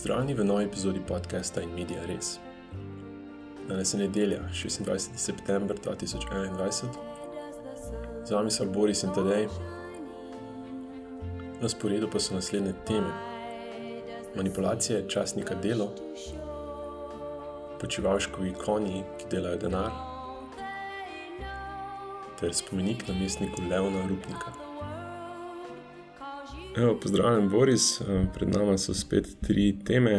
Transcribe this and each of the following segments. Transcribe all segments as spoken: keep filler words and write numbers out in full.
Pozdravljeni v novi epizodi podcasta In Media Res. Danes je nedelja, šestindvajseti september dva tisoč enaindvajset. Z vami so Boris in Tadej. Na sporedu pa so naslednje teme. Manipulacije časnika Delo, Počivalškovi konji, ki delajo denar, ter spomenik namestniku Leona Rupnika. Evo, pozdravljen Boris, pred nama so spet tri teme.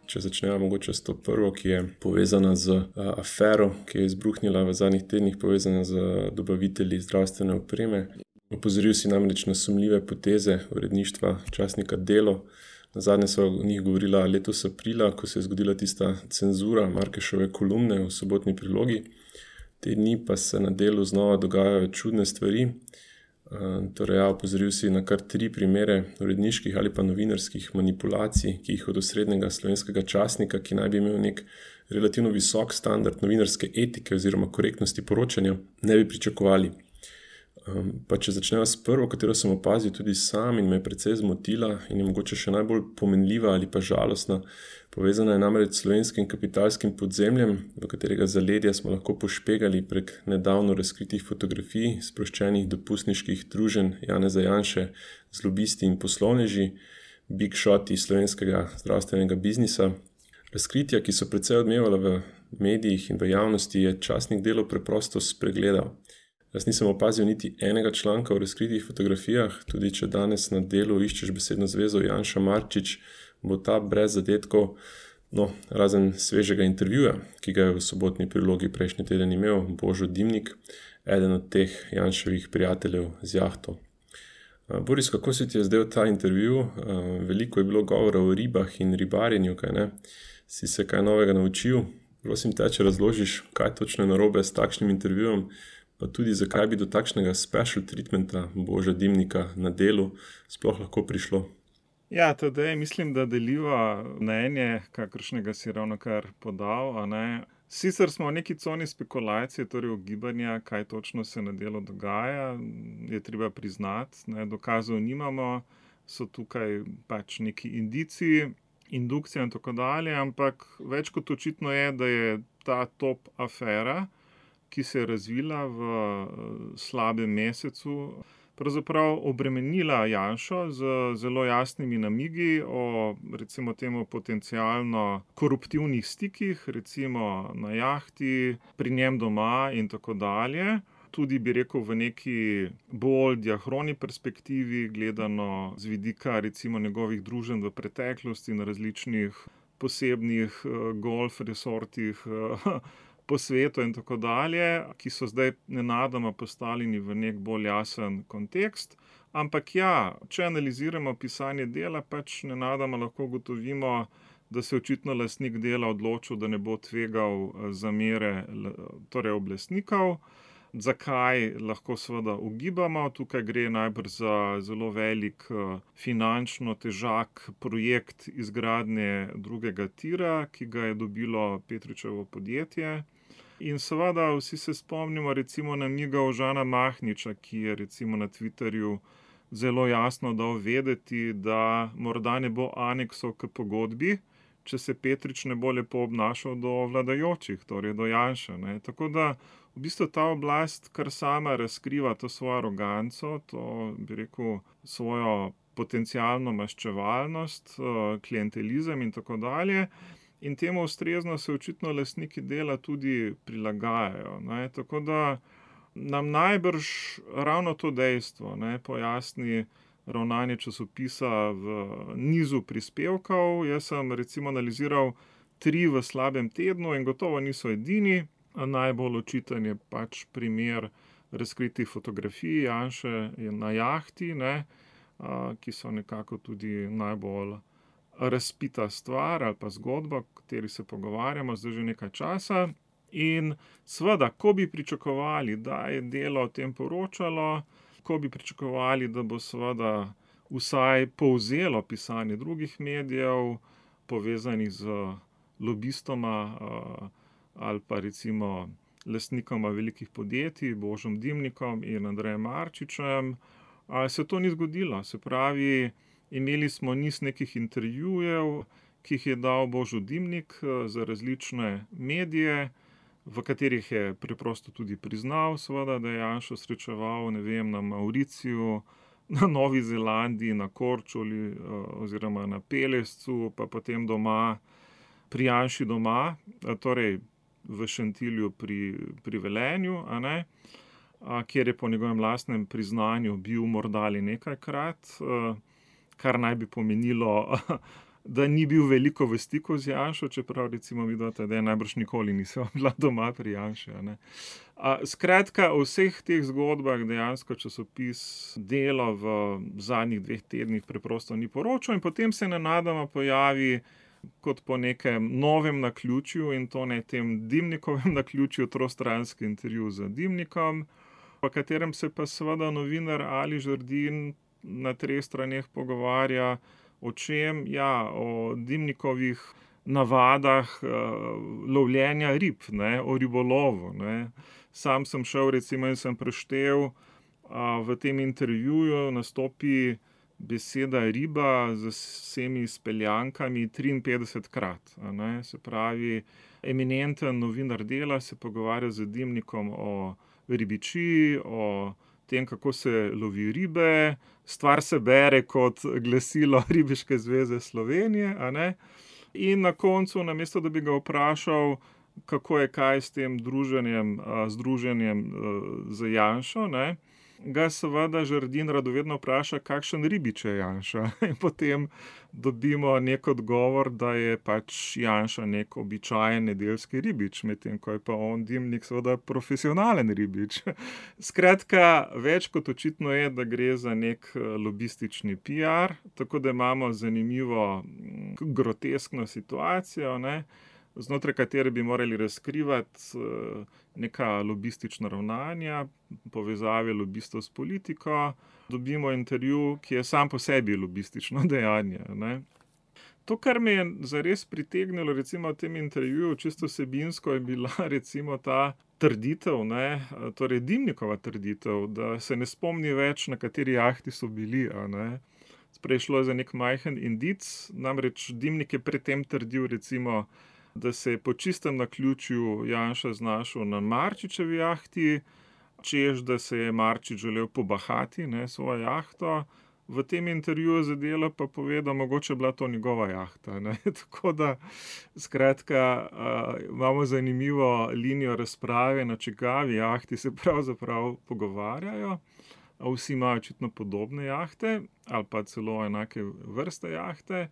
Če začnemo mogoče s to prvo, ki je povezana z afero, ki je izbruhnila v zadnjih tednih, povezana z dobavitelji zdravstvene opreme. Opozoril si namreč na sumljive poteze uredništva časnika Delo. Nazadnje so o njih govorila letos aprila, ko se je zgodila tista cenzura Markešove kolumne v sobotni prilogi. Te dni pa se na Delu znova dogajajo čudne stvari. Torej, ja, opozoril si na kar tri primere uredniških ali pa novinarskih manipulacij, ki jih od osrednjega slovenskega časnika, ki naj bi imel nek relativno visok standard novinarske etike oziroma korektnosti poročanja, ne bi pričakovali. Pa če začnemo s prvo, katero sem opazil tudi sam in me je precej zmotila in je mogoče še najbolj pomenljiva ali pa žalostna, povezana je namreč s slovenskim kapitalskim podzemljem, v katerega zaledja smo lahko pošpegali prek nedavno razkritih fotografij sproščenih dopustniških druženj Janeza Janše z lobisti in poslovneži, big shoti slovenskega zdravstvenega biznisa. Razkritja, ki so precej odmevala v medijih in v javnosti, je časnik Delo preprosto spregledal. Jaz nisem opazil niti enega članka o razkritih fotografijah, tudi če danes na Delu iščeš besedno zvezo Janša Marčič, bo ta brez zadetkov, no, razen svežega intervjuja, ki ga je v sobotni prilogi prejšnji teden imel Božo Dimnik, eden od teh Janševih prijateljev z jahto. Boris, kako se ti je zdel ta intervju? Veliko je bilo govora o ribah in ribarjenju, kaj ne? Si se kaj novega naučil? Prosim te, če razložiš, kaj točno je narobe s takšnim intervjujem, pa tudi zakaj bi do takšnega special treatmenta Boža Dimnika na Delu sploh lahko prišlo. Ja, Tadej, mislim, da deliva mnenje, kakršnega si ravnokar podal, a ne. Sicer smo v neki coni spekulacije, torej ugibanja, kaj točno se na Delu dogaja, je treba priznati, ne, dokazov nimamo, so tukaj pač neki indici, indukcija in tako dalje, ampak več kot očitno je, da je ta top afera, ki se je razvila v slabem mesecu, pravzaprav obremenila Janšo z zelo jasnimi namigi o, recimo temu, potencialno koruptivnih stikih, recimo na jahti, pri njem doma in tako dalje. Tudi bi rekel v neki bolj diahroni perspektivi, gledano z vidika recimo njegovih druženj v preteklosti na različnih posebnih golf resortih po svetu in tako dalje, ki so zdaj nenadoma postavljeni v nek bolj jasen kontekst. Ampak ja, če analiziramo pisanje Dela, pač nenadoma lahko ugotovimo, da se očitno lastnik Dela odločil, da ne bo tvegal zamere torej oblastnikov. Zakaj, lahko seveda ugibamo, tukaj gre najbrž za zelo velik finančno težak projekt izgradnje drugega tira, ki ga je dobilo Petričevo podjetje. In seveda vsi se spomnimo recimo namigov Žana Mahniča, ki je recimo na Twitterju zelo jasno dal vedeti, da morda ne bo aneksov k pogodbi, če se Petrič ne bo lepo obnašal do vladajočih, torej do Janše, ne. Tako da v bistvu ta oblast kar sama razkriva to svojo aroganco, to, bi rekel, svojo potencialno maščevalnost, klientelizem in tako dalje. In temu ustrezno se očitno lastniki Dela tudi prilagajajo, ne. Tako da nam najbrž ravno to dejstvo, ne, pojasni ravnanje časopisa v nizu prispevkov. Jaz sem recimo analiziral tri v slabem tednu in gotovo niso edini. Najbolj očiten je pač primer razkritih fotografij Janše na jahti, ne, ki so nekako tudi najbolj razpita stvar ali pa zgodba, o kateri se pogovarjamo zdaj že nekaj časa. In seveda, ko bi pričakovali, da je Delo o tem poročalo, ko bi pričakovali, da bo seveda vsaj povzelo pisanje drugih medijev, povezanih z lobistoma ali pa recimo lastnikoma velikih podjetij, Božom Dimnikom in Andrejem Marčičem, se to ni zgodilo. Se pravi, imeli smo niz nekih intervjujev, ki jih je dal Božo Dimnik za različne medije, v katerih je preprosto tudi priznal, seveda, da je Janšo srečeval, ne vem, na Mauriciju, na Novi Zelandiji, na Korčuli oziroma na Pelescu, pa potem doma, pri Janši doma, torej v Šentilju pri, pri Velenju, a ne, a, kjer je po njegovem lastnem priznanju bil morda ali nekajkrat, a, kar naj bi pomenilo, da ni bil veliko v stiku z Janšo, čeprav recimo vidva tedaj najbrž nikoli nisva bila doma pri Janši, a ne. A, skratka, o vseh teh zgodbah dejansko časopis Delo v zadnjih dveh tednih preprosto ni poročal in potem se nenadoma pojavi kot po nekem novem naključju, in to ne tem Dimnikovem naključju, trostranski intervju z Dimnikom, v katerem se pa seveda novinar Ali Žerdin na treh straneh pogovarja o čem, ja, o Dimnikovih navadah uh, lovljenja rib, ne, o ribolovu, ne. Sam sem šel recimo in sem preštel, uh, v tem intervjuju nastopi beseda riba z vsemi speljankami triinpetdesetkrat, a ne, se pravi, eminenten novinar Dela se pogovarja z Dimnikom o ribičiji, o tem, kako se lovi ribe, stvar se bere kot glasilo Ribiške zveze Slovenije, a ne, in na koncu, namesto da bi ga vprašal, kako je kaj s tem druženjem, združenjem z Janšo, ne, ga seveda Žerdin radovedno vpraša, kakšen ribič je Janša. In potem dobimo nek odgovor, da je pač Janša nek običajen nedeljski ribič, medtem ko je pa on Dimnik seveda profesionalen ribič. Skratka, več kot očitno je, da gre za nek lobistični piar, tako da imamo zanimivo groteskno situacijo, ne, znotraj katere bi morali razkrivati neka lobistična ravnanja, povezave lobistov s politiko, dobimo intervju, ki je sam po sebi lobistično dejanje, ne. To, kar me je zares pritegnilo recimo v tem intervjuju, čisto vsebinsko, je bila recimo ta trditev, ne, torej Dimnikova trditev, da se ne spomni več, na kateri jahti so bili, a ne. Prej šlo je za nek majhen indic, namreč Dimnik je pred tem trdil recimo, da se je po čistem naključju Janša znašel na Marčičevi jahti, češ, da se je Marčič želel pobahati, ne, svojo jahto. V tem intervjuju za Delo pa pove, da mogoče bila to njegova jahta, ne. Tako da, skratka, uh, imamo zanimivo linijo razprave, na čigavi jahti se pravzaprav pogovarjajo. Vsi imajo očitno podobne jahte ali pa celo enake vrste jahte.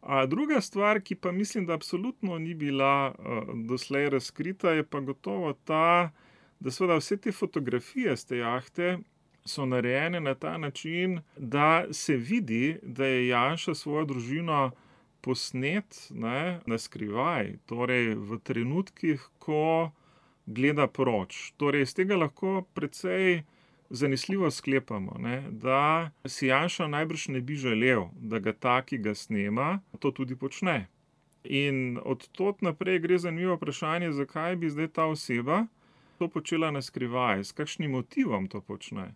A druga stvar, ki pa mislim, da absolutno ni bila uh, doslej razkrita, je pa gotovo ta, da seveda vse te fotografije s te jahte so narejene na ta način, da se vidi, da je Janša svojo družino posnet, ne, na skrivaj, torej v trenutkih, ko gleda proč. Torej iz tega lahko precej zanesljivo sklepamo, ne, da si Janša najbrž ne bi želel, da ga ta, ki ga snema, to tudi počne. In od tod naprej gre zanimivo vprašanje, zakaj bi zdaj ta oseba to počela na skrivaj, s kakšnim motivom to počne.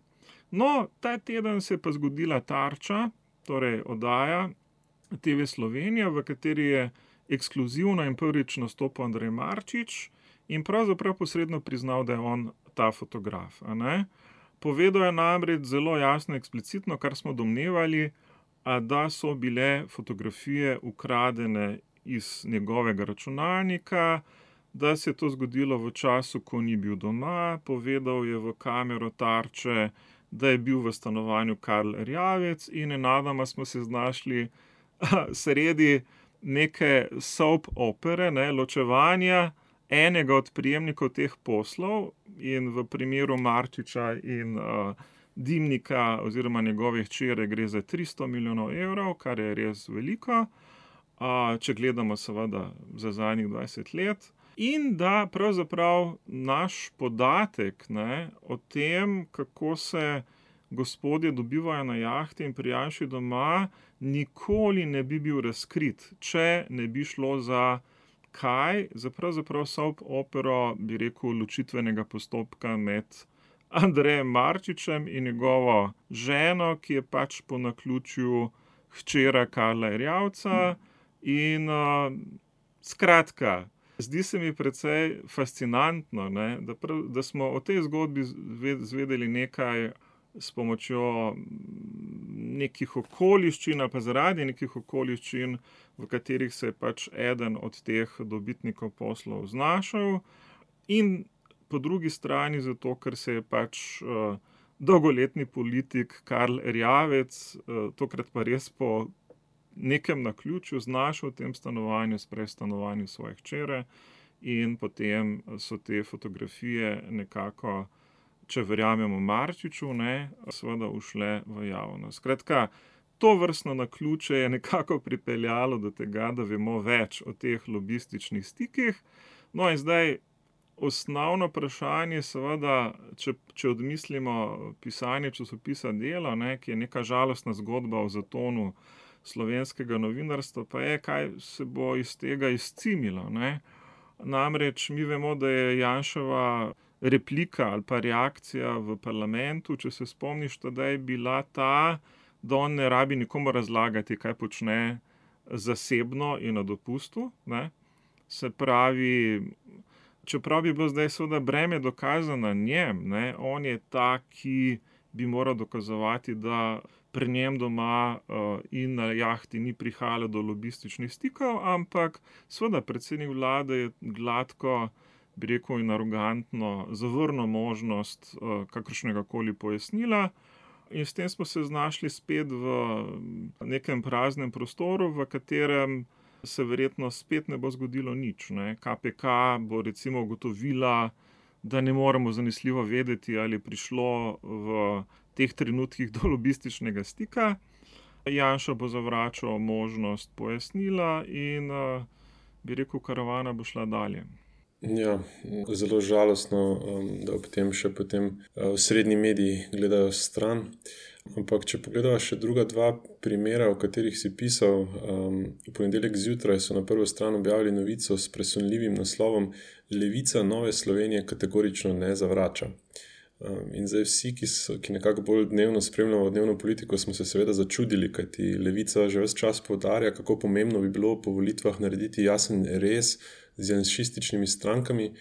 No, ta teden se je pa zgodila Tarča, torej oddaja T V Slovenija, v kateri je ekskluzivno in prvič nastopil Andrej Marčič in pravzaprav posredno priznal, da je on ta fotograf, a ne. Povedal je namreč zelo jasno, eksplicitno, kar smo domnevali, da so bile fotografije ukradene iz njegovega računalnika, da se je to zgodilo v času, ko ni bil doma. Povedal je v kamero Tarče, da je bil v stanovanju Karl Erjavec in nenadoma smo se znašli sredi neke soap opere, ne, ločevanja enega od prejemnikov teh poslov, in v primeru Marčiča in uh, Dimnika oziroma njegove hčere gre za tristo milijonov evrov, kar je res veliko, uh, če gledamo seveda za zadnjih dvajset let. In da pravzaprav naš podatek, ne, o tem, kako se gospodje dobivajo na jahti in pri Janši doma, nikoli ne bi bil razkrit, če ne bi šlo za kaj, za pravzaprav soap opero, bi rekel, ločitvenega postopka med Andrejem Marčičem in njegovo ženo, ki je pač po naključju hčera Karla Erjavca, In uh, skratka, zdi se mi precej fascinantno, ne, da, prav, da smo o tej zgodbi zvedeli nekaj s pomočjo nekih okoliščin, pa zaradi nekih okoliščin, v katerih se je pač eden od teh dobitnikov poslov znašel, in po drugi strani zato, ker se je pač uh, dolgoletni politik Karl Erjavec, uh, tokrat pa res po nekem naključju znašel v tem stanovanju, sprej stanovanju svoje hčere, in potem so te fotografije nekako, če verjamemo Marčiču, ne, seveda ušle v javnost. Skratka, to vrstno naključje je nekako pripeljalo do tega, da vemo več o teh lobističnih stikih. No in zdaj osnovno vprašanje, seveda, če, če odmislimo pisanje časopisa Delo, ne, ki je neka žalostna zgodba o zatonu slovenskega novinarstva, pa je, kaj se bo iz tega izcimilo, ne. Namreč mi vemo, da je Janševa replika ali pa reakcija v parlamentu, če se spomniš, da je bila ta, da on ne rabi nikomu razlagati, kaj počne zasebno in na dopustu, ne. Se pravi, čeprav bi bilo zdaj seveda breme dokaza na njem, ne, on je ta, ki bi moral dokazovati, da pri njem doma uh, in na jahti ni prihajalo do lobističnih stikov, ampak seveda predsednik vlade je gladko, bi rekel, in arogantno zavrnil možnost uh, kakršnega koli pojasnila, in s tem smo se znašli spet v nekem praznem prostoru, v katerem se verjetno spet ne bo zgodilo nič, ne. K P K bo recimo ugotovila, da ne moremo zanesljivo vedeti, ali je prišlo v teh trenutkih do lobističnega stika. Janša bo zavračal možnost pojasnila in, bi rekel, karavana bo šla dalje. Ja, zelo žalostno, da ob tem še potem osrednji mediji gledajo stran. Ampak če pogledava še druga dva primera, o katerih si pisal, v ponedeljek zjutraj so na prvo stran objavili novico s presunljivim naslovom Levica Nove Slovenije kategorično ne zavrača. In zdaj vsi, ki, so, ki nekako bolj dnevno spremljamo dnevno politiko, smo se seveda začudili, kajti Levica že ves čas poudarja, kako pomembno bi bilo po volitvah narediti jasen rez z janšističnimi strankami.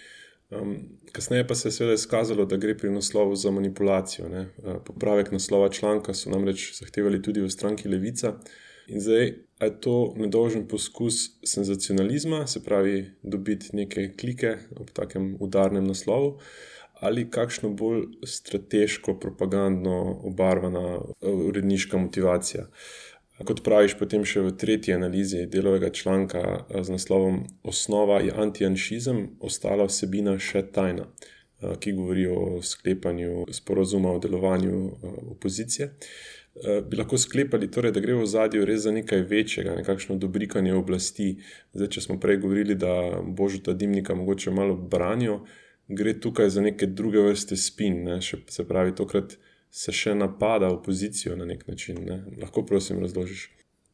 Um, kasneje pa se je seveda izkazalo, da gre pri naslovu za manipulacijo, ne. Popravek naslova članka so namreč zahtevali tudi v stranki Levica. In zdaj, a je to nedolžen poskus senzacionalizma, se pravi dobiti neke klike ob takem udarnem naslovu, ali kakšno bolj strateško, propagandno obarvana uredniška motivacija. Kot praviš potem še v tretji analizi Delovega članka z naslovom Osnova je antijanšizem, ostala vsebina še tajna, ki govori o sklepanju sporazuma o delovanju opozicije. Bi lahko sklepali, torej, da gre v ozadju res za nekaj večjega, nekakšno dobrikanje oblasti. Zdaj, če smo prej govorili, da Božeta Dimnika mogoče malo branijo, gre tukaj za neke druge vrste spin, ne? Še, se pravi, tokrat se še napada opozicijo na nek način, ne? Lahko prosim razložiš.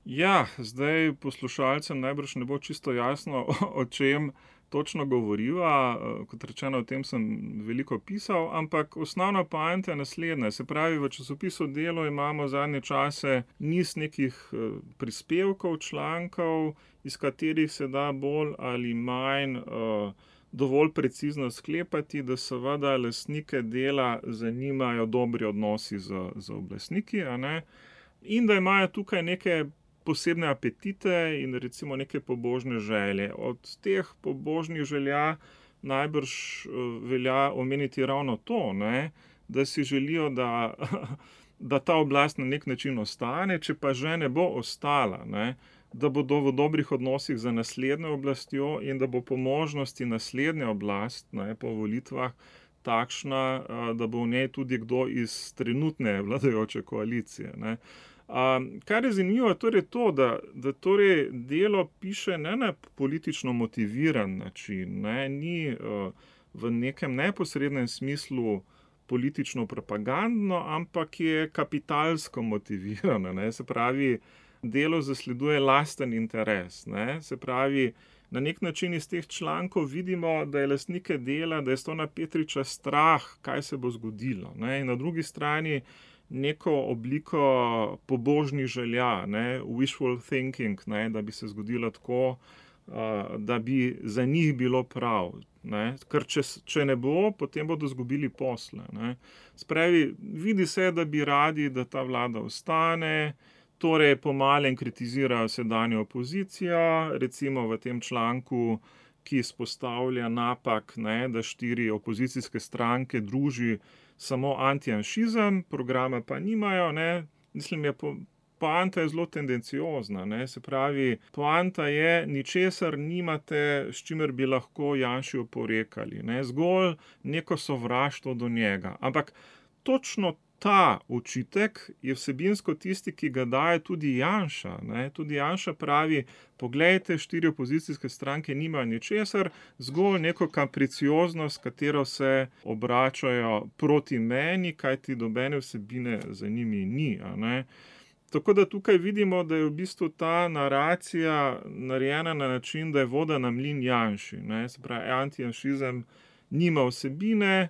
Ja, zdaj poslušalcem najbrž ne bo čisto jasno, o čem točno govoriva. Kot rečeno, o tem sem veliko pisal, ampak osnovna poanta je naslednja. Se pravi, v časopisu Delo imamo zadnje čase niz nekih prispevkov, člankov, iz katerih se da bolj ali manj uh, dovolj precizno sklepati, da seveda lastnike Dela zanimajo dobri odnosi z, z oblastniki, a ne? In da imajo tukaj neke posebne apetite in recimo neke pobožne želje. Od teh pobožnih želja najbrž velja omeniti ravno to, ne? Da si želijo, da, da ta oblast na nek način ostane, če pa že ne bo ostala, ne? Da bodo v dobrih odnosih za naslednjo oblastjo in da bo po možnosti naslednja oblast, ne, po volitvah takšna, da bo v njej tudi kdo iz trenutne vladajoče koalicije, ne. A, kar je zanimivo, je torej to, da, da torej Delo piše ne na politično motiviran način, ne, ni uh, v nekem neposrednem smislu politično propagandno, ampak je kapitalsko motivirano, ne, se pravi, Delo zasleduje lasten interes, ne? Se pravi, na nek način iz teh člankov vidimo, da je lastnike Dela, da je Stona Petriča strah, kaj se bo zgodilo, ne? In na drugi strani neko obliko pobožnih želja, ne, wishful thinking, ne, da bi se zgodilo tako, da bi za njih bilo prav. Ne. Ker če, če ne bo, potem bodo izgubili posle. Ne. Spravi, vidi se, da bi radi, da ta vlada ostane, torej po malem kritizirajo sedanjo opozicijo, recimo v tem članku, ki izpostavlja napak, ne, da štiri opozicijske stranke druži samo antijanšizem, programa pa nimajo, ne. Mislim, je po, poanta je zelo tendenciozna, ne. Se pravi, poanta je, ničesar nimate, s čimer bi lahko Janši oporekali, ne. Zgolj neko sovraštvo do njega. Ampak točno ta očitek je vsebinsko tisti, ki ga daje tudi Janša, ne. Tudi Janša pravi, poglejte, štiri opozicijske stranke nimajo ničesar, zgolj neko kapricioznost, katero se obračajo proti meni, kajti nobene vsebine za njimi ni, a ne. Tako da tukaj vidimo, da je v bistvu ta naracija narejena na način, da je voda na mlin Janši, ne. Se pravi, antijanšizem nima vsebine.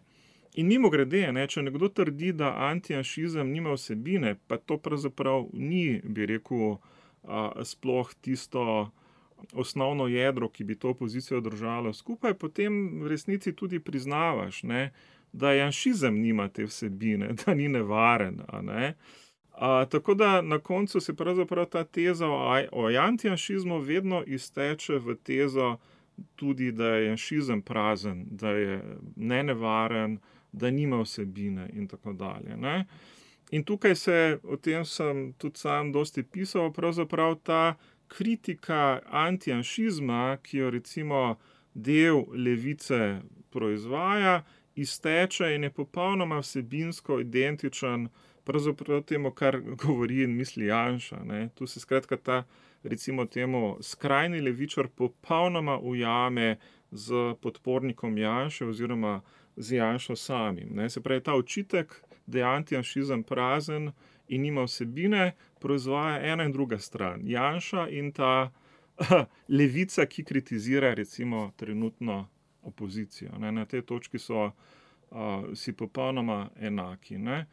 In mimogrede, ne, če nekdo trdi, da antijanšizem nima vsebine, pa to pravzaprav ni, bi rekel, a, sploh tisto osnovno jedro, ki bi to opozicijo držalo skupaj, potem v resnici tudi priznavaš, ne, da janšizem nima te vsebine, da ni nevaren, a ne. A, tako da na koncu se pravzaprav ta teza o, o antijanšizmu vedno izteče v tezo tudi, da je janšizem prazen, da je nenevaren, da nima vsebine in tako dalje, ne. In tukaj se, o tem sem tudi sam dosti pisal, pravzaprav ta kritika antijanšizma, ki jo recimo del levice proizvaja, izteče in je popolnoma vsebinsko identičen pravzaprav temu, kar govori in misli Janša, ne. Tu se skratka ta, recimo temu, skrajni levičar popolnoma ujame z podpornikom Janše oziroma z Janšo samim, ne. Se pravi, ta očitek, da je antijanšizem prazen in nima vsebine, proizvaja ena in druga stran. Janša in ta levica, ki kritizira recimo trenutno opozicijo, ne. Na tej točki so uh, si popolnoma enaki, ne.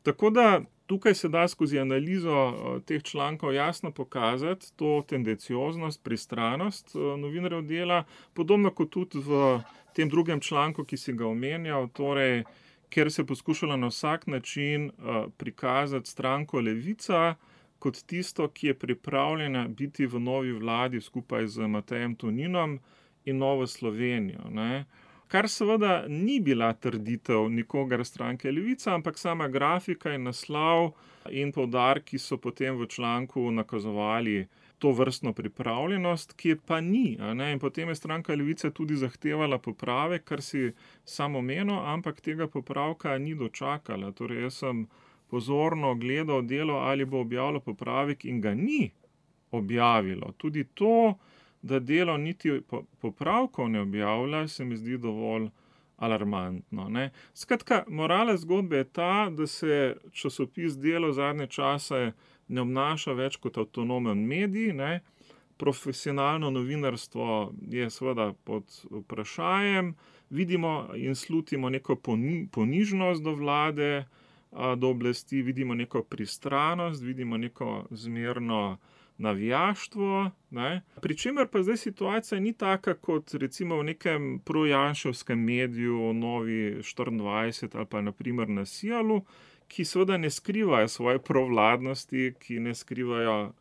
Tako da tukaj se da skozi analizo uh, teh člankov jasno pokazati to tendencioznost, pristranost uh, novinarjev dela, podobno kot tudi v tem drugem članku, ki si ga omenjal, torej, kjer se je poskušalo na vsak način uh, prikazati stranko Levica kot tisto, ki je pripravljena biti v novi vladi skupaj z Matejem Toninom in Novo Slovenijo, ne. Kar seveda ni bila trditev nikogar stranke Levica, ampak sama grafika in naslov in poudarki so potem v članku nakazovali to vrstno pripravljenost, ki je pa ni, a ne, in potem je stranka Levice tudi zahtevala popravek, kar si sam omenil, ampak tega popravka ni dočakala. Torej, jaz sem pozorno gledal delo, ali bo objavilo popravek in ga ni objavilo. Tudi to, da delo niti popravkov ne objavlja, se mi zdi dovolj alarmantno, ne. Skratka, morala zgodbe je ta, da se časopis Delo zadnje čase ne obnaša več kot avtonomen medij, ne. Profesionalno novinarstvo je seveda pod vprašajem, vidimo in slutimo neko poni, ponižnost do vlade, do oblasti, vidimo neko pristranost, vidimo neko zmerno navijaštvo, ne. Pri čemer pa zdaj situacija ni taka kot recimo v nekem projanševskem mediju, Novi štiriindvajset ali pa na primer na Sijalu, ki seveda ne skrivajo svoje provladnosti, ki ne skrivajo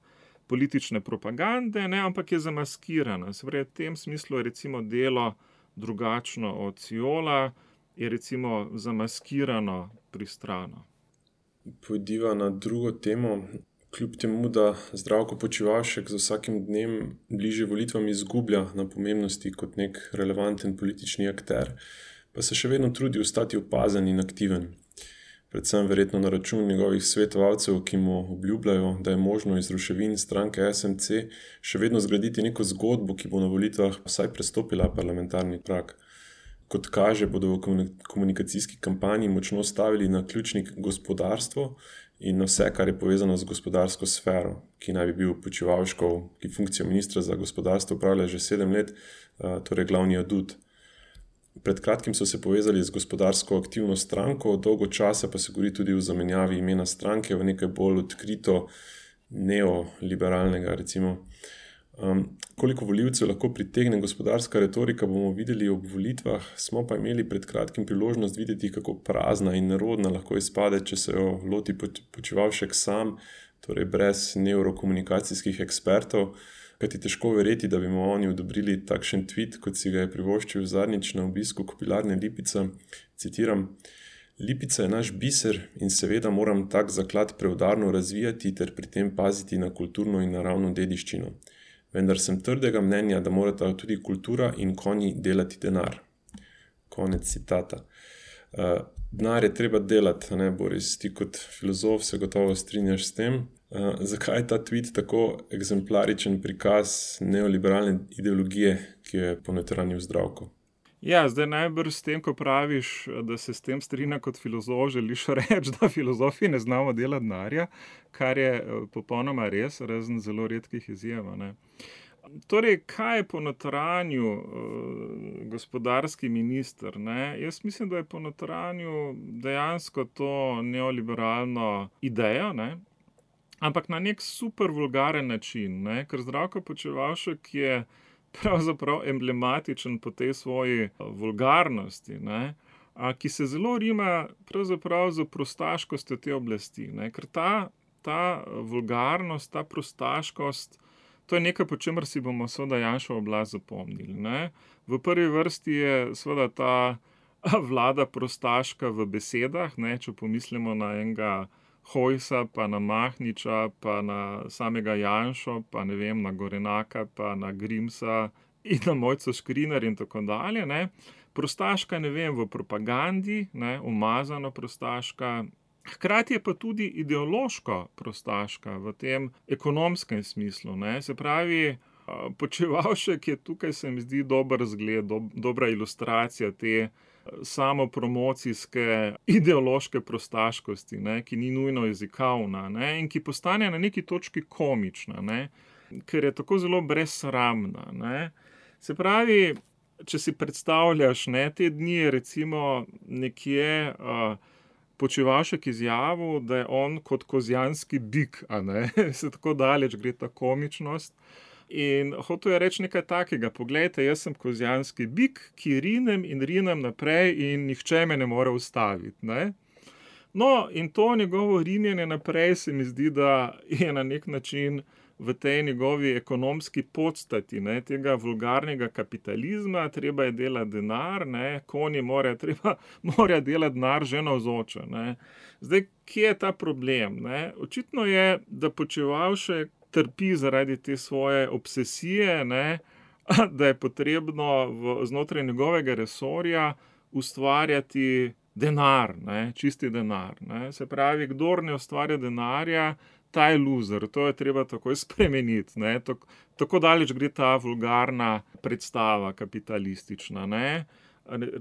politične propagande, ne, ampak je zamaskirana. Se pravi, v tem smislu je recimo Delo drugačno od Sijola, je recimo zamaskirano pristrano. Pojdiva na drugo temo. Kljub temu, da Zdravko Počivalšek z vsakim dnem bližje volitvam izgublja na pomembnosti kot nek relevanten politični akter, pa se še vedno trudi ostati opazen in aktiven. Predvsem verjetno na račun njegovih svetovalcev, ki mu obljubljajo, da je možno iz ruševin stranke S M C še vedno zgraditi neko zgodbo, ki bo na volitvah vsaj prestopila parlamentarni prag. Kot kaže, bodo v komunikacijski kampanji močno stavili na ključnik gospodarstvo in na vse, kar je povezano z gospodarsko sfero, ki naj bi bil Počivalškov, ki funkcijo ministra za gospodarstvo upravlja že sedem let, torej glavni adut. Pred kratkim so se povezali z gospodarsko aktivno stranko, dolgo časa pa se govori tudi o zamenjavi imena stranke v nekaj bolj odkrito neoliberalnega, recimo. Um, koliko volivcev lahko pritegne gospodarska retorika, bomo videli ob volitvah, smo pa imeli pred kratkim priložnost videti, kako prazna in nerodna lahko izpade, če se jo loti Počivalšek sam, torej brez neurokomunikacijskih ekspertov, kajti težko verjeti, da bi mu oni odobrili takšen tweet, kot si ga je privoščil zadnjič na obisku Kobilarne Lipica. Citiram: Lipica je naš biser in seveda moram tak zaklad preudarno razvijati ter pri tem paziti na kulturno in naravno dediščino. Vendar sem trdega mnenja, da morata tudi kultura in konji delati denar. Konec citata. Uh, denar je treba delati, ne, Boris, ti kot filozof se gotovo strinjaš s tem. Uh, zakaj je ta tweet tako eksemplaričen prikaz neoliberalne ideologije, ki jo je ponotranil Zdravko? Ja, zdaj najbrž s tem, ko praviš, da se s tem strinja kot filozof, želiš reči, da filozofi ne znamo delati denarja, kar je popolnoma res, razen zelo redkih izjem, ne. Torej, kaj je ponotranil uh, gospodarski minister, ne? Jaz mislim, da je ponotranil dejansko to neoliberalno idejo, ne? Ampak na nek super vulgaren način, ne? Ker Zdravko Počivalšek je pravzaprav emblematičen po tej svoji vulgarnosti, ne, a, ki se zelo rima pravzaprav z prostaškostjo te oblasti, ne, ker ta, ta vulgarnost, ta prostaškost, to je nekaj, po čemer si bomo seveda Janševo oblast zapomnili, ne. V prvi vrsti je seveda ta vlada prostaška v besedah, ne, če pomislimo na enega Hojsa, pa na Mahniča, pa na samega Janšo, pa ne vem, na Gorenaka, pa na Grimsa in na Mojco Škrinjar in tako dalje, ne. Prostaška, ne vem, v propagandi, ne, umazano prostaška, hkrati je pa tudi ideološko prostaška v tem ekonomskem smislu, ne. Se pravi, Počivalšek je tukaj, se mi zdi, dober zgled, do, dobra ilustracija te samopromocijske ideološke prostaškosti, ne, ki ni nujno jezikovna, ne, in ki postane na neki točki komična, ne, ker je tako zelo brezsramna, ne. Se pravi, če si predstavljaš, ne, te dni je recimo nekje uh, Počivalšek izjavil, da je on kot kozjanski bik, a ne, se tako daleč gre ta komičnost. In hotel je reči nekaj takega: poglejte, jaz sem kozjanski bik, ki rinem in rinem naprej in nihče me ne more ustaviti, ne. No, in to njegovo rinjenje naprej se mi zdi, da je na nek način v tej njegovi ekonomski podstati, ne, tega vulgarnega kapitalizma, treba je delati denar, ne, konji mora, treba, mora delati denar že navzoče, ne. Zdaj, kje je ta problem, ne? Očitno je, da Počivalšek trpi zaradi te svoje obsesije, ne, da je potrebno v, znotraj njegovega resorja ustvarjati denar, ne, čisti denar, ne. Se pravi, kdor ne ustvarja denarja, ta je loser, to je treba takoj spremeniti, ne. Tako, tako daleč gre ta vulgarna predstava kapitalistična, ne.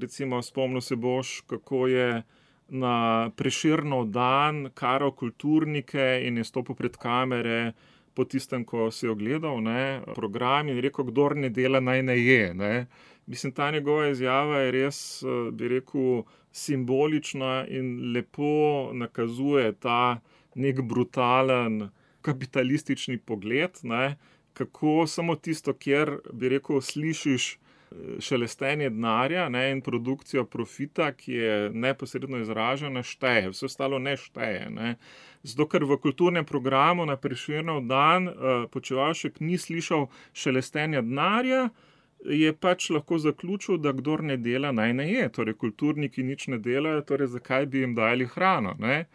Recimo, spomnil se boš, kako je na Prešernov dan karal kulturnike in je stopil pred kamere po tistem, ko si je ogledal, ne, program in rekel, kdor ne dela, naj ne je, ne. Mislim, ta njegova izjava je res, bi rekel, simbolična in lepo nakazuje ta nek brutalen kapitalistični pogled, ne, kako samo tisto, kjer, bi rekel, slišiš šelestenje denarja, ne, in produkcijo profita, ki je neposredno izražena, šteje, vse ostalo ne šteje, ne. Zato, ker v kulturnem programu na Prešernov dan uh, Počivalšek ni slišal šelestenja denarja, je pač lahko zaključil, da kdor ne dela, naj ne je. Torej, kulturniki nič ne delajo, torej zakaj bi jim dali hrano, ne.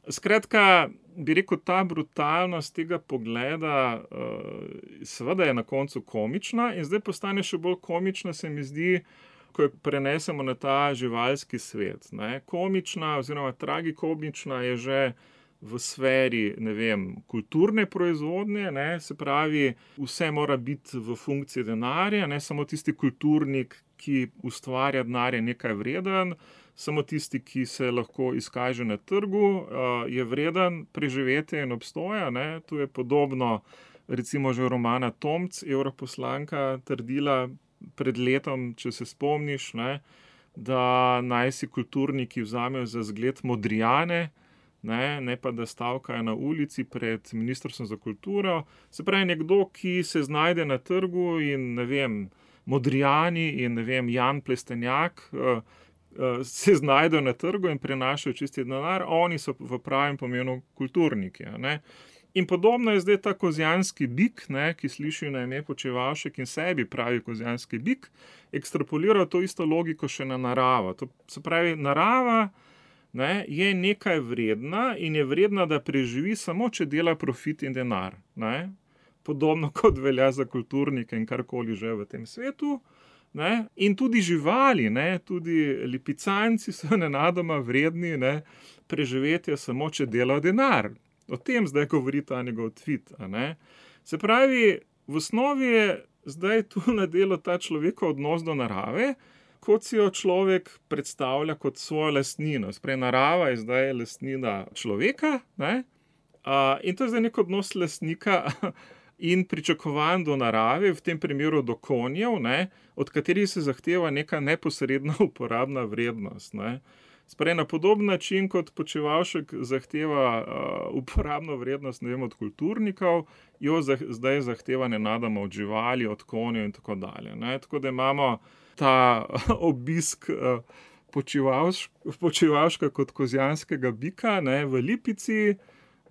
Skratka, bi rekel, ta brutalnost tega pogleda uh, seveda je na koncu komična in zdaj postane še bolj komična, se mi zdi, ko jo prenesemo na ta živalski svet, ne. Komična oziroma tragikomična je že v sferi, ne vem, kulturne proizvodnje, ne, se pravi, vse mora biti v funkciji denarja, ne samo tisti kulturnik, ki ustvarja denar, je nekaj vreden, samo tisti, ki se lahko izkaže na trgu, je vreden preživetja in obstoja, ne. Tu je podobno, recimo že romana Tomc, evroposlanka, trdila pred letom, če se spomniš, ne, da naj si kulturniki vzamejo za zgled Modrijane, ne, ne pa da stavkajo na ulici pred Ministrstvom za kulturo. Se pravi, nekdo, ki se znajde na trgu in, ne vem, Modrijani in, ne vem, Jan Plestenjak uh, uh, se znajdejo na trgu in prenašajo čisti denar, oni so v pravem pomenu kulturniki, ne. In podobno je zdaj ta kozjanski bik, ne, ki sliši na ime Počivalšek in sebi pravi kozjanski bik, ekstrapoliral to isto logiko še na naravo. To se pravi, narava, ne, je nekaj vredna in je vredna, da preživi samo, če dela profit in denar. Ne. Podobno kot velja za kulturnike in karkoli že v tem svetu. Ne. In tudi živali, ne, tudi lipicanci so nenadoma vredni, ne, preživetja samo, če delajo denar. O tem zdaj govori ta njegov tweet. A ne? Se pravi, v osnovi je zdaj tu na delu ta človekov odnos do narave, kot si jo človek predstavlja kot svojo lastnino. Sprej, narava je zdaj lastnina človeka, ne? A, in to je zdaj nek odnos lastnika in pričakovanj do narave, v tem primeru do konjev, ne? Od katerih se zahteva neka neposredna uporabna vrednost. Ne? Sprej, na podoben način, kot Počivalšek zahteva uh, uporabno vrednost, ne vem, od kulturnikov, jo zah, zdaj zahteva nenadoma od živali, od konjev in tako dalje. Ne? Tako da imamo ta obisk uh, Počivalš, Počivalška kot kozjanskega bika, ne, v Lipici,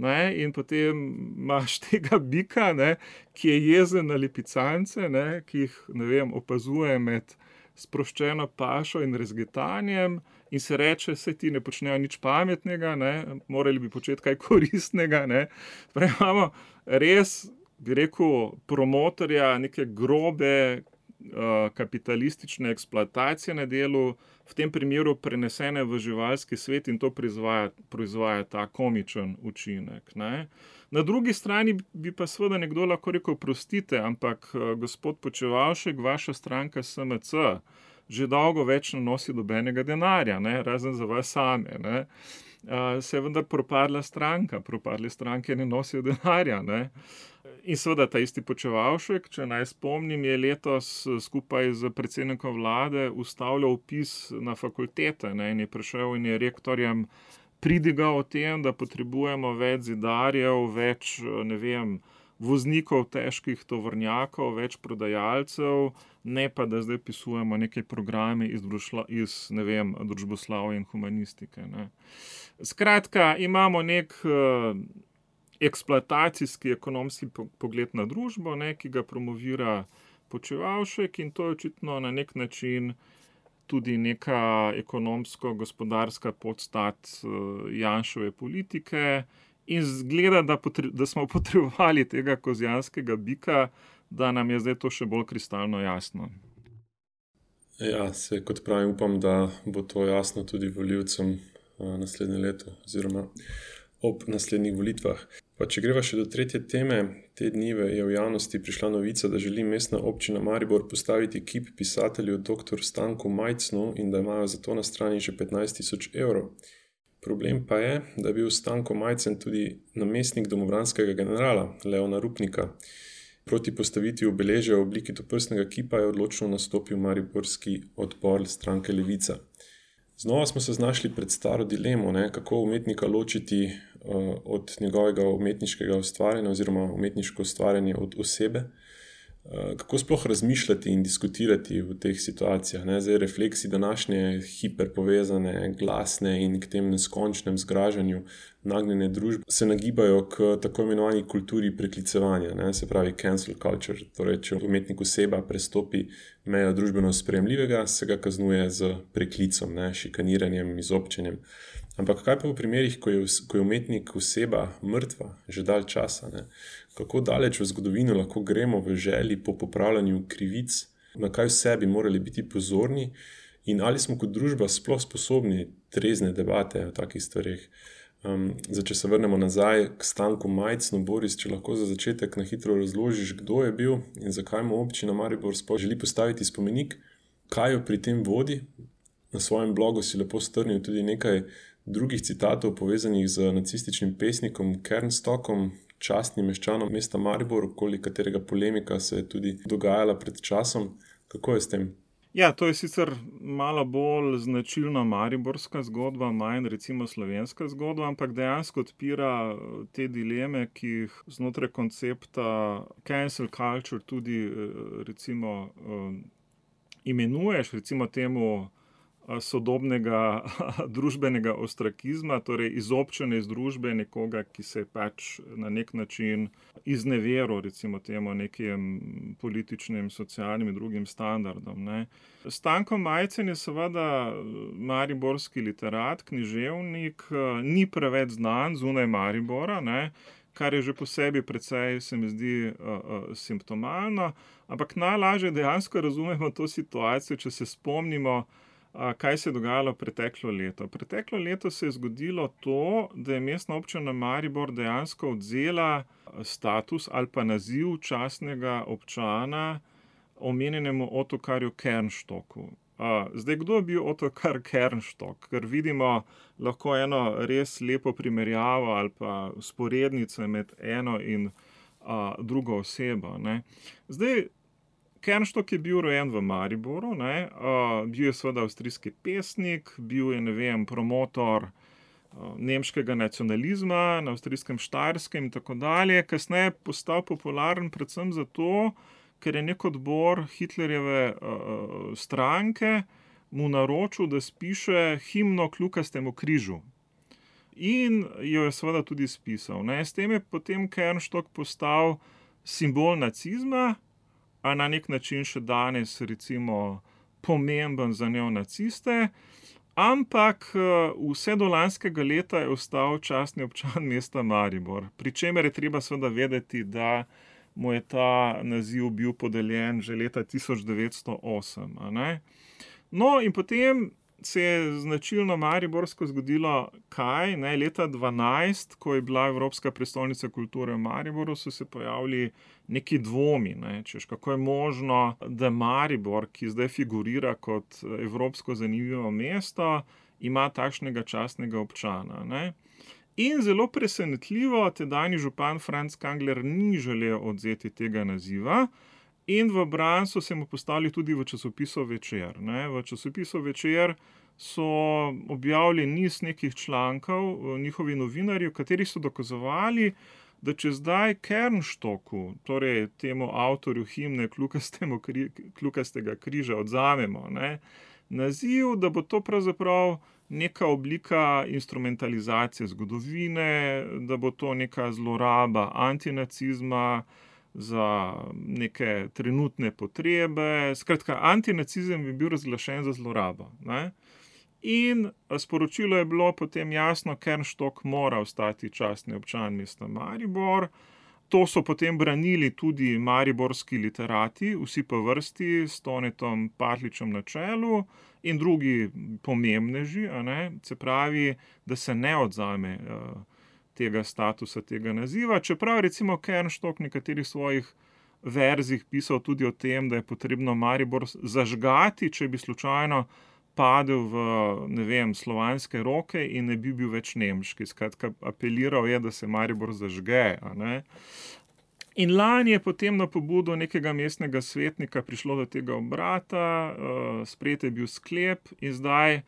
ne, in potem imaš tega bika, ne, ki je jezen na lipicance, ne, ki jih, ne vem, opazuje med sproščeno pašo in rezgetanjem in se reče, saj ti ne počnejo nič pametnega, ne, morali bi početi kaj koristnega. Ne. Prav imamo res, bi rekel, promotorja neke grobe uh, kapitalistične eksploatacije na delu, v tem primeru prenesene v živalski svet in to proizvaja, proizvaja ta komičen učinek. Ne. Na drugi strani bi pa seveda nekdo lahko rekel, prostite, ampak gospod Počivalšek, vaša stranka S M C, že dolgo več ne nosi dobenega denarja, ne, razen za vas same. Ne. Uh, se je vendar propadla stranka, propadle stranke ne nosijo denarja. Ne. In seveda ta isti Počivalšek, če naj spomnim, je letos skupaj z predsednikom vlade ustavljal vpis na fakultete, ne, in je prišel in je rektorjem pridigal o tem, da potrebujemo več zidarjev, več, ne vem, voznikov težkih tovornjakov, več prodajalcev, ne pa da zdaj pisujemo neke programe iz, družla, iz ne vem, družboslavja in humanistike. Ne. Skratka, imamo nek uh, eksploatacijski ekonomski pogled na družbo, ne, ki ga promovira Počivalšek in to je očitno na nek način tudi neka ekonomsko-gospodarska podstat uh, Janševe politike. In zgleda, da, potre, da smo potrebovali tega kozjanskega bika, da nam je zdaj to še bolj kristalno jasno. Ja, se kot pravim, upam, da bo to jasno tudi volivcem naslednje leto oziroma ob naslednjih volitvah. Pa če greva še do tretje teme, te dnive je v javnosti prišla novica, da želi mestna občina Maribor postaviti kip pisatelju doktor Stanku Majcnu in da imajo za to na strani že petnajst tisoč evrov. Problem pa je, da je bil Stanko Majcen tudi namestnik domobranskega generala Leona Rupnika. Proti postavitvi obeležja v obliki toprstnega kipa je odločno nastopil mariborski odpor stranke Levica. Znova smo se znašli pred staro dilemo, ne, kako umetnika ločiti uh, od njegovega umetniškega ustvarjanja oziroma umetniško ustvarjanje od osebe. Kako sploh razmišljati in diskutirati v teh situacijah? Ne? Zdaj, refleksi današnje hiperpovezane, glasne in k tem neskončnem zgražanju nagnjene družbe se nagibajo k tako imenovani kulturi preklicevanja, ne? Se pravi cancel culture. Torej, če umetnik oseba prestopi mejo družbeno sprejemljivega, se ga kaznuje z preklicom, ne? Šikaniranjem, izobčenjem. Ampak kaj pa v primerih, ko je, ko je umetnik oseba mrtva, že dalj časa? Ne? Kako daleč v zgodovino lahko gremo v želji po popravljanju krivic, na kaj vse bi morali biti pozorni in ali smo kot družba sploh sposobni trezne debate o takih stvareh. Um, zdaj, če se vrnemo nazaj k Stanku Majcnu, Boris, če lahko za začetek na hitro razložiš, kdo je bil in zakaj mu občina Maribor sploh želi postaviti spomenik, kaj jo pri tem vodi. Na svojem blogu si lepo strnil tudi nekaj drugih citatov povezanih z nacističnim pesnikom Kernstockom, častnim meščanom mesta Maribor, okoli katerega polemika se je tudi dogajala pred časom. Kako je s tem? Ja, to je sicer malo bolj značilna mariborska zgodba, manj recimo slovenska zgodba, ampak dejansko odpira te dileme, ki jih znotraj koncepta cancel culture tudi recimo imenuješ, recimo temu sodobnega družbenega ostrakizma, torej izobčenje iz družbe nekoga, ki se je pač na nek način izneveril recimo temu nekim političnim, socialnim in drugim standardom, ne. Stanko Majcen je seveda mariborski literat, književnik, ni preveč znan zunaj Maribora, ne, kar je že po sebi precej, se mi zdi, simptomalno, ampak najlažje dejansko razumemo to situacijo, če se spomnimo, kaj se je dogajalo preteklo leto. Preteklo leto se je zgodilo to, da je Mestna občina Maribor dejansko odvzela status ali pa naziv častnega občana omenjenemu Ottokarju Kernstocku. Zdaj, kdo je bil Ottokar Kernstock? Ker vidimo lahko eno res lepo primerjavo ali pa vzporednico med eno in drugo osebo, ne. Zdaj, Kernstock je bil rojen v Mariboru, ne, bil je seveda avstrijski pesnik, bil je, ne vem, promotor nemškega nacionalizma na avstrijskem Štajerskem in tako dalje, kasneje je postal popularen predvsem zato, ker je neki odbor Hitlerjeve stranke mu naročil, da spiše himno Kljukastemu križu. In jo je seveda tudi spisal, ne, s tem je potem Kernstock postal simbol nacizma, a na nek način še danes recimo pomemben za neonaciste, ampak vse do lanskega leta je ostal častni občan mesta Maribor, pri čemer je treba seveda vedeti, da mu je ta naziv bil podeljen že leta tisoč devetsto osem, a ne. No, in potem se je značilno mariborsko zgodilo kaj, ne, leta dvanajst, ko je bila Evropska prestolnica kulture v Mariboru, so se pojavili neki dvomi, ne, češ kako je možno, da Maribor, ki zdaj figurira kot evropsko zanimivo mesto, ima takšnega častnega občana, ne. In zelo presenetljivo tedanji župan Franc Kangler ni želel odvzeti tega naziva in v bran so se mu postavili tudi v časopisu Večer, ne. V časopisu Večer so objavili niz nekih člankov, njihovi novinarji, v katerih so dokazovali, da če zdaj Kernstocku, torej temu avtorju himne Kljukastemu Kljukastega križa odvzamemo, ne, naziv, da bo to pravzaprav neka oblika instrumentalizacije zgodovine, da bo to neka zloraba antinacizma za neke trenutne potrebe, skratka, antinacizem bi bil razglašen za zlorabo, ne. In sporočilo je bilo potem jasno, Kernstock mora ostati častni občan mesta Maribor. To so potem branili tudi mariborski literati, vsi po vrsti, s Tonetom Partljičem na čelu in drugi pomembneži, a ne, se pravi, da se ne odvzame tega statusa, tega naziva, čeprav recimo Kernstock v nekaterih svojih verzih pisal tudi o tem, da je potrebno Maribor zažgati, če bi slučajno padel v, ne vem, slovanske roke in ne bi bil več nemški. Skratka, apeliral je, da se Maribor zažge, a ne. In lani je potem na pobudo nekega mestnega svetnika prišlo do tega obrata, sprejet je bil sklep in zdaj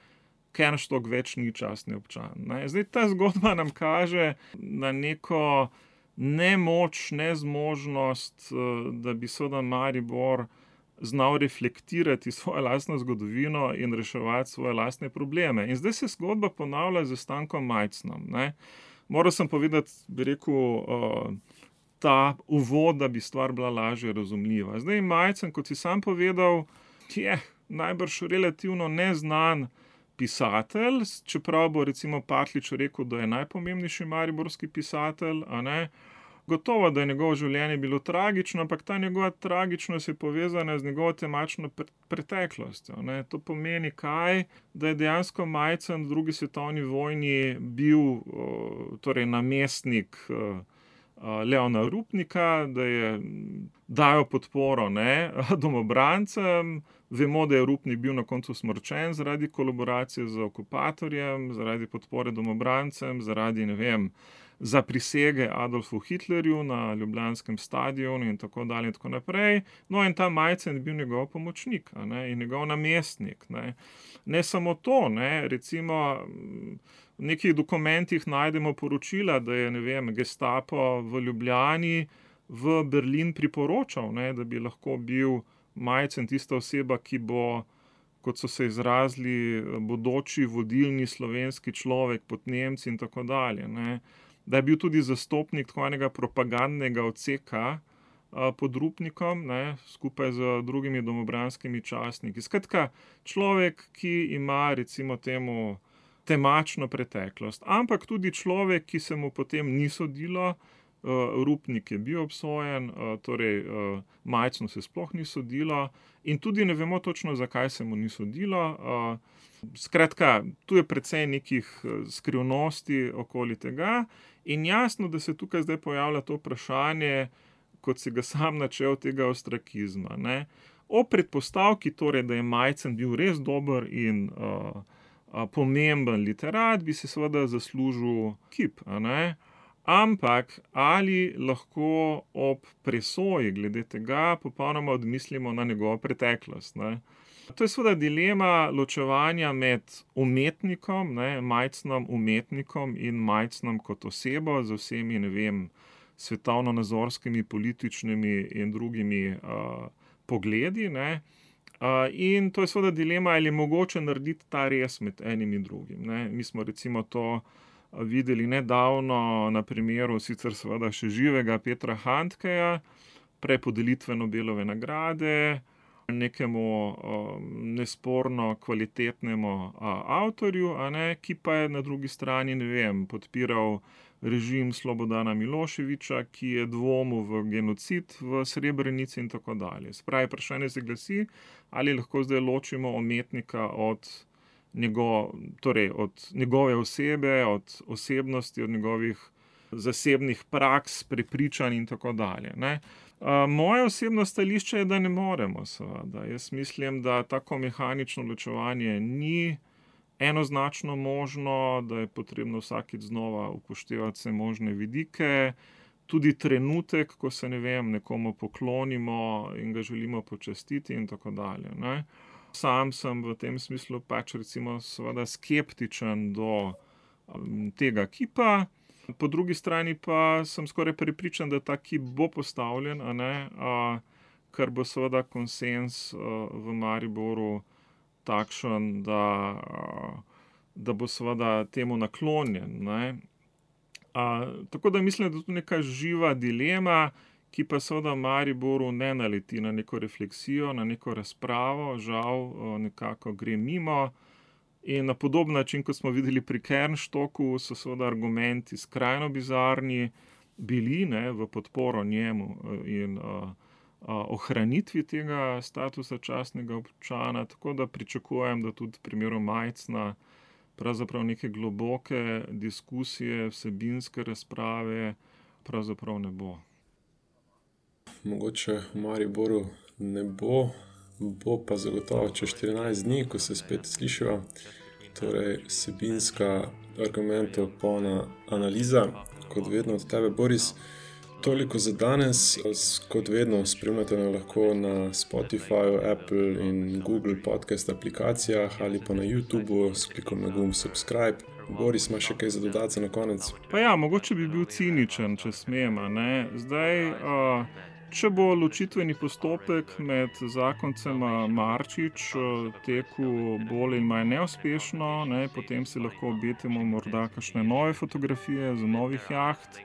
Kernstock več ni častni občan, ne. Zdaj ta zgodba nam kaže na neko nemoč, nezmožnost, da bi seveda Maribor znal reflektirati svojo lastno zgodovino in reševati svoje lastne probleme. In zdaj se zgodba ponavlja s Stankom Majcnom, ne. Moral sem povedati, bi rekel, ta uvod, da bi stvar bila lažje razumljiva. Zdaj Majcen, kot si sam povedal, je najbrž relativno neznan pisatelj, čeprav bo recimo Partljič rekel, da je najpomembnejši mariborski pisatelj, a ne. Gotovo, da je njegovo življenje bilo tragično, ampak ta njegova tragičnost je povezana z njegovo temačno preteklostjo, ne. To pomeni kaj? Da je dejansko Majcen v drugi svetovni vojni bil, torej namestnik Leona Rupnika, da je dajal podporo, ne, domobrancem. Vemo, da je Rupnik bil na koncu usmrčen zaradi kolaboracije z okupatorjem, zaradi podpore domobrancem, zaradi, ne vem, za prisege Adolfu Hitlerju na ljubljanskem stadionu in tako dalje in tako naprej. No, in ta Majcen je bil njegov pomočnik, a ne, in njegov namestnik, ne. Ne samo to, ne, recimo v nekih dokumentih najdemo poročila, da je, ne vem, Gestapo v Ljubljani v Berlin priporočal, ne, da bi lahko bil Majcen tista oseba, ki bo, kot so se izrazili, bodoči vodilni slovenski človek pod Nemci in tako dalje, ne. Da je bil tudi zastopnik tako enega propagandnega odseka pod Rupnikom, ne, skupaj z drugimi domobranskimi častniki. Skratka, človek, ki ima recimo temu temačno preteklost, ampak tudi človek, ki se mu potem ni sodilo. Rupnik je bil obsojen, torej Majcnu se sploh ni sodilo in tudi ne vemo točno, zakaj se mu ni sodilo. Skratka, tu je precej nekih skrivnosti okoli tega in jasno, da se tukaj zdaj pojavlja to vprašanje, kot si ga sam načel, tega ostrakizma, ne. O predpostavki torej, da je Majcen bil res dober in uh, uh, pomemben literat, bi se seveda zaslužil kip, a ne. Ampak ali lahko ob presoji glede tega popolnoma odmislimo na njegovo preteklost, ne? To je seveda dilema ločevanja med umetnikom, ne, Majcnom umetnikom in Majcnom kot osebo z vsemi, ne vem, svetovnonazorskimi, političnimi in drugimi uh, pogledi, ne. Uh, in to je seveda dilema, ali je mogoče narediti ta rez med enim in drugim, ne. Mi smo recimo to videli nedavno na primeru sicer seveda še živega Petra Handkeja, prej podelitve Nobelove nagrade, nekemu um, nesporno kvalitetnemu uh, avtorju, a ne, ki pa je na drugi strani, ne vem, podpiral režim Slobodana Miloševića, ki je dvomil v genocid v Srebrenici in tako dalje. Spravi, vprašanje se glasi, ali lahko zdaj ločimo umetnika od Njego, torej od njegove osebe, od osebnosti, od njegovih zasebnih praks, prepričanj in tako dalje, ne. Moje osebno stališče je, da ne moremo, seveda. Jaz mislim, da tako mehanično ločevanje ni enoznačno možno, da je potrebno vsakič znova upoštevati vse možne vidike, tudi trenutek, ko se, ne vem, nekomu poklonimo in ga želimo počastiti in tako dalje, ne. Sam sem v tem smislu pač recimo seveda skeptičen do tega kipa, po drugi strani pa sem skoraj prepričan, da ta kip bo postavljen, a ne, a, ker bo seveda konsenz v Mariboru takšen, da, da bo seveda temu naklonjen, ne. A, tako da mislim, da je to neka živa dilema, ki pa seveda v Mariboru ne naleti na neko refleksijo, na neko razpravo, žal nekako gre mimo. In na podoben način, kot smo videli pri Kernstocku, so seveda argumenti skrajno bizarni bili, ne, v podporo njemu in a, a, ohranitvi tega statusa častnega občana, tako da pričakujem, da tudi v primeru Majcna pravzaprav neke globoke diskusije, vsebinske razprave pravzaprav ne bo. Mogoče v Mariboru ne bo, bo pa zagotovo čez štirinajst dni, ko se spet slišiva. Torej, vsebinska argumentov polna analiza, kot vedno od tebe, Boris. Toliko za danes, kot vedno spremljate nas lahko na Spotify, Apple in Google podcast aplikacijah ali pa na YouTubeu s klikom na gumb subscribe. Boris, ima še kaj za dodati na konec? Pa ja, mogoče bi bil ciničen, če smem, a ne. Zdaj, uh, če bo ločitveni postopek med zakoncema Marčič tekel bolj in manj neuspešno, ne, potem si lahko obetimo morda kakšne nove fotografije z novih jaht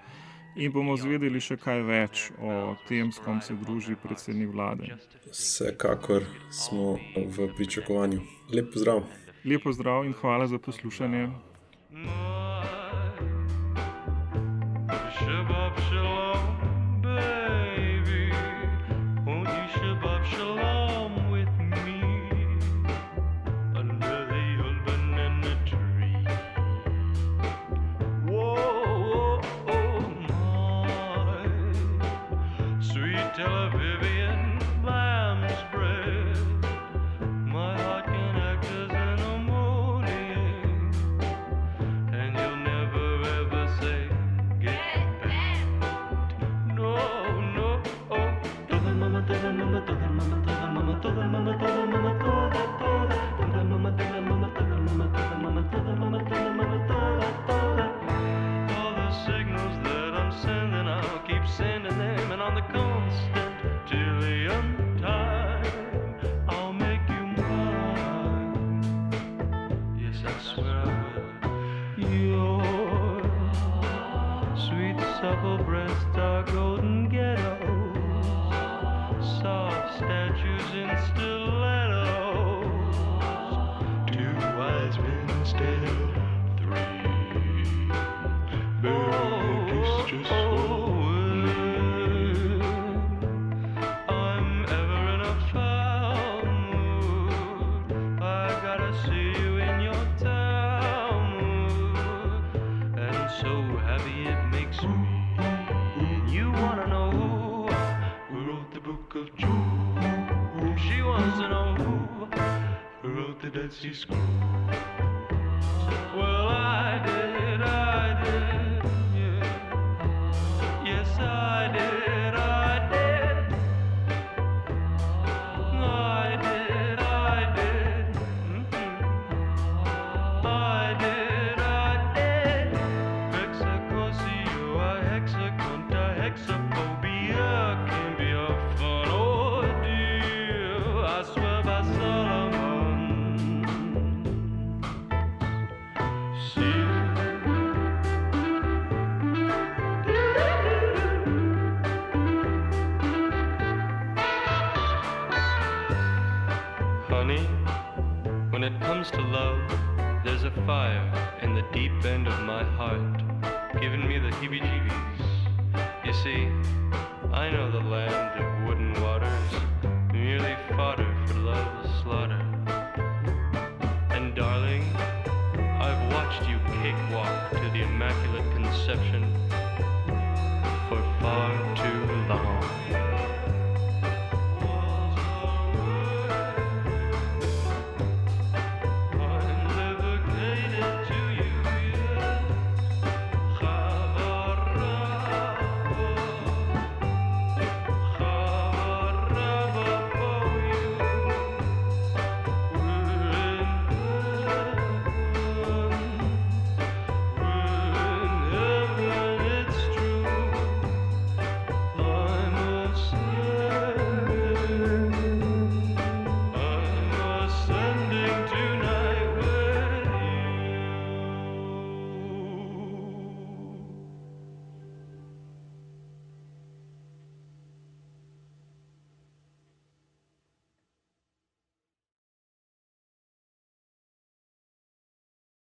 in bomo zvedeli še kaj več o tem, s kom se druži predsednik vlade. Vsekakor smo v pričakovanju. Lep pozdrav. Lep pozdrav in hvala za poslušanje. toda, mama toda, mama toda, toda, toda, mama toda, mama toda, mama toda, mama toda, mama toda, mama toda, toda. All the signals that I'm sending, I'll keep sending them, and on the constant till the end time, I'll make you mine. Yes, I swear I will. Your sweet supple breasts are golden ghettos, soft statues in stilettos, two wise men instead of three. Baby, it's just I'm ever in a foul mood, I gotta see you in your town mood, and so happy it makes me. You wanna know who wrote the book of Job? She wants to know who wrote the Dead Sea Scrolls. Well, I did, I did, yeah. Yes, I did, I did. I did, I did. Mm-hmm. I did, I did. Hexacosio, a hexaconta, hexaphobia can be a fun ordeal. I swear by Solomon. See. Honey, when it comes to love, there's a fire in the deep end of my heart, giving me the heebie-jeebies. You see, I know the land of wooden waters, merely fodder for love's slaughter. And darling, I've watched you cakewalk to the Immaculate Conception